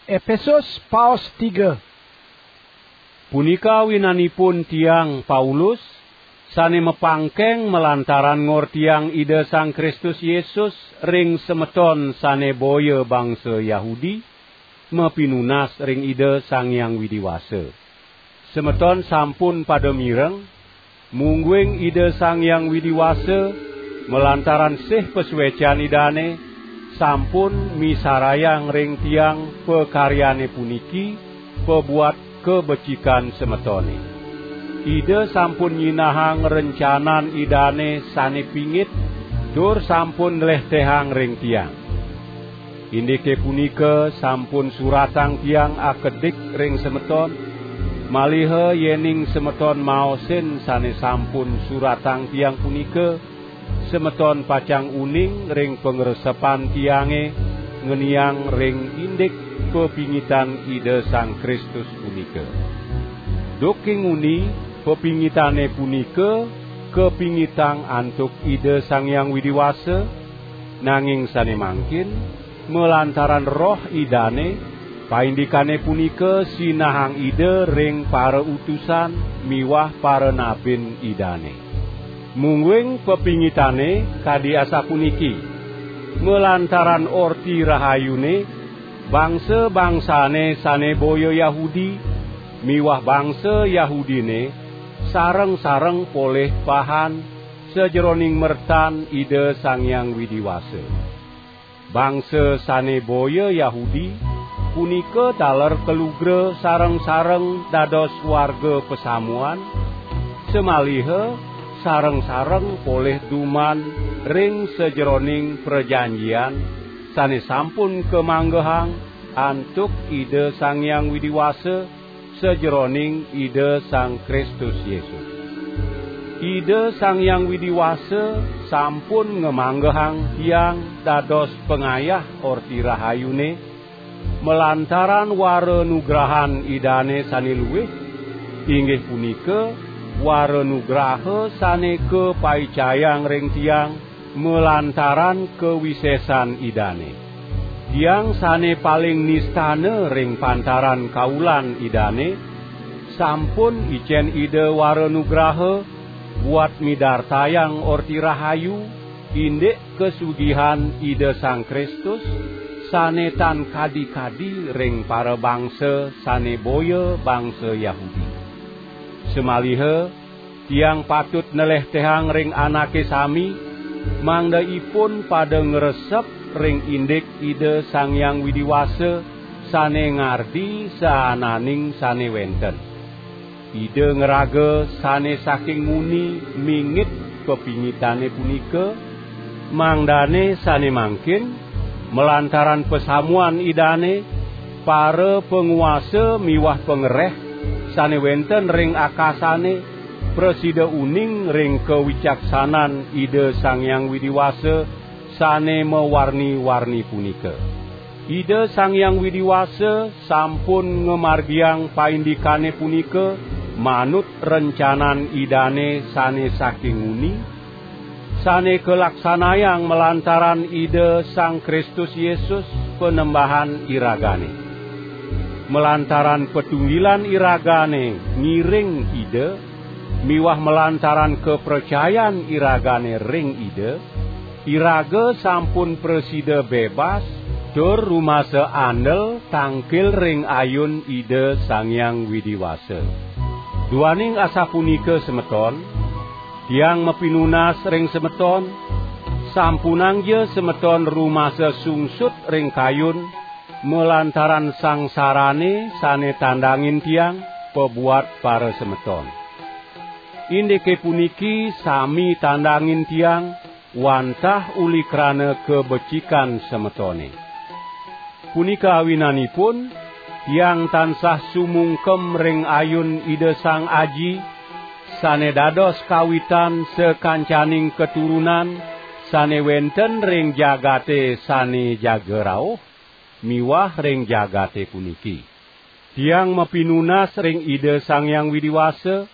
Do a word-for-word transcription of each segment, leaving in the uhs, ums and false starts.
Epesus paos tiga. Punika awinanipun tiang, Paulus, sane mapangkeng malantaran ngortiang Ida Sang Kristus Yesus ring semeton sane boya bangsa Yahudi, mapinunas ring Ida Sang Hyang Widi Wasa. Semeton sampun pada mireng, mungguing Ida Sang Hyang Widi Wasa, malantaran sih pasuecan Idane, sampun misarayang ring tiang pakaryane puniki, pabuat kabecikan semetone. Ida sampun nyinahang rencanan Idane sane pingit, tur sampun nlehtehang ring tiang. Indike punika sampun suratang tiang akedik ring semeton, maliha yening semeton maosin sane sampun suratang tiang punika, semeton pacang uning ring pangresepan tiange ngeniang ring indik pepingitan Ida Sang Kristus punika. Duk king uni, pepingitane punika kapingitang antuk Ida Sang Hyang Widi Wasa, nanging sane mangkin, malantaran Roh Idane, paindikane punika sinahang Ida ring parautusan miwah paranabin Idane. Mungguing pepingitane kadi asapuniki: malantaran Orti Rahayune, bangsa-bangsane sane boya Yahudi miwah bangsa Yahudine sareng-sareng polih pahan sajeroning mertan Ida Sang Hyang Widi Wasa. Bangsa sane boya Yahudi punika taler kalugra sareng-sareng dados warga pasamuan, samaliha sareng-sareng polih duman ring sajeroning prajanjian sane sampun kamanggehang antuk Ida Sang Hyang Widi Wasa sajeroning Ida Sang Kristus Yesus. Ida Sang Hyang Widi Wasa sampun ngamanggehang tiang dados pangayah Orti Rahayune, malantaran wara nugrahan Idane sane luih, inggih punika wara nugraha sane kapaicayang ring tiang malantaran kawisesan Idane. Tiang sane paling nistana ring pantaran kaulan Idane, sampun icen Ida wara nugraha buat midartayang Orti Rahayu, indik kasugihan Ida Sang Kristus, sane tan kadi-kadi ring parabangsa sane boya bangsa Yahudi. Samaliha tiang patut nlehtehang ring anake sami, mangda ipun pada ngresep ring indik Ida Sang Hyang Widi Wasa sane ngardi saananing sane wenten. Ida ngraga sane saking nguni mingit pepingitane punika, mangdane sane mangkin, malantaran pasamuan Idane, para panguasa miwah pangreh sane wenten ring akasane prasida uning ring kawicaksanan Ida Sang Hyang Widi Wasa sane mawarni-warni punika. Ida Sang Hyang Widi Wasa sampun ngamargiang paindikane punika manut rencanan Idane sane saking nguni, sane kalaksanayang malantaran Ida Sang Kristus Yesus, Panembahan iragane. Malantaran patunggilan iragane ngiring Ida miwah malantaran kapracayan iragane ring Ida, iraga sampun prasida bebas tur rumasa andel tangkil ring ayun Ida Sang Hyang Widi Wasa. Duaning asapunika, semeton, tiang mapinunas ring semeton, sampunangja semeton rumasa sungsut ring kayun malantaran sangsarane sane tandangin tiang pabuat parasemeton. Indike puniki sami tandangin tiang wantah uli krana kabecikan semetone. Punika awinanipun, tiang tansah sumungkem ring ayun Ida Sang Aji, sane dados kawitan sakancaning katurunan sane wenten ring jagate sane jaga rauh miwah ring jagate puniki. Tiang mapinunas ring Ida Sang Hyang Widi Wasa,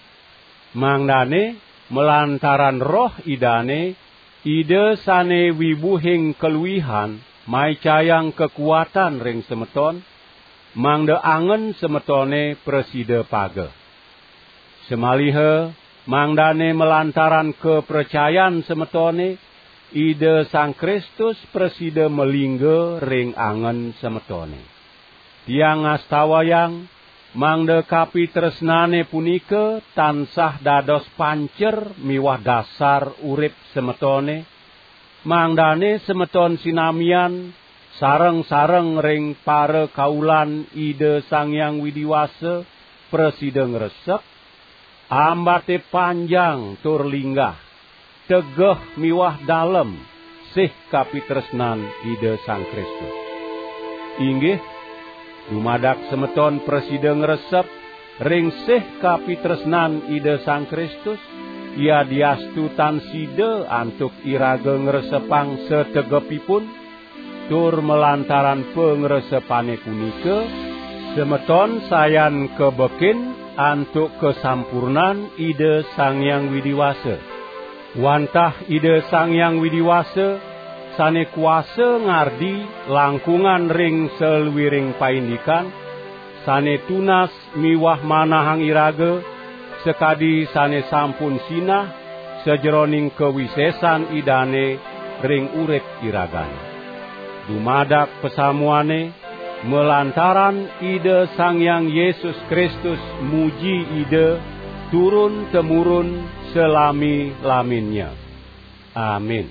mangdane malantaran Roh Idane, Ida sane wibuhing kaluihan maicayang kakuatan ring semeton, mangda angen semetone prasida pageh. Samaliha mangdane malantaran kapracayan semetone, Ida Sang Kristus prasida malingga ring angen semetone. Tiang ngastawayang, mangda kapitresnane punika tansah dados pancer miwah dasar urip semetone, mangdane semeton sinamian sareng-sareng ring parakaulan Ida Sang Hyang Widi Wasa prasida ngresep, ambate panjang tur linggah, tegeh miwah dalem, sih kapitresnan Ida Sang Kristus. Inggih, dumadak semeton prasida ngresep ring sih kapitresnan Ida Sang Kristus, yadiastu tan sida antuk iraga ngresepang sategepipun, tur malantaran pangresepane punika, semeton sayan kabekin antuk kasampurnan Ida Sang Hyang Widi Wasa. Wantah Ida Sang Hyang Widi Wasa, sane kuasa ngardi langkungan ring saluiring paindikan, sane tunas miwah manahang iraga, sakadi sane sampun sinah sajeroning kawisesan Idane ring urip iragane. Dumadak pasamuane, malantaran Ida Sang Hyang Yesus Kristus muji Ida, turun temurun salami-laminnya. Amin.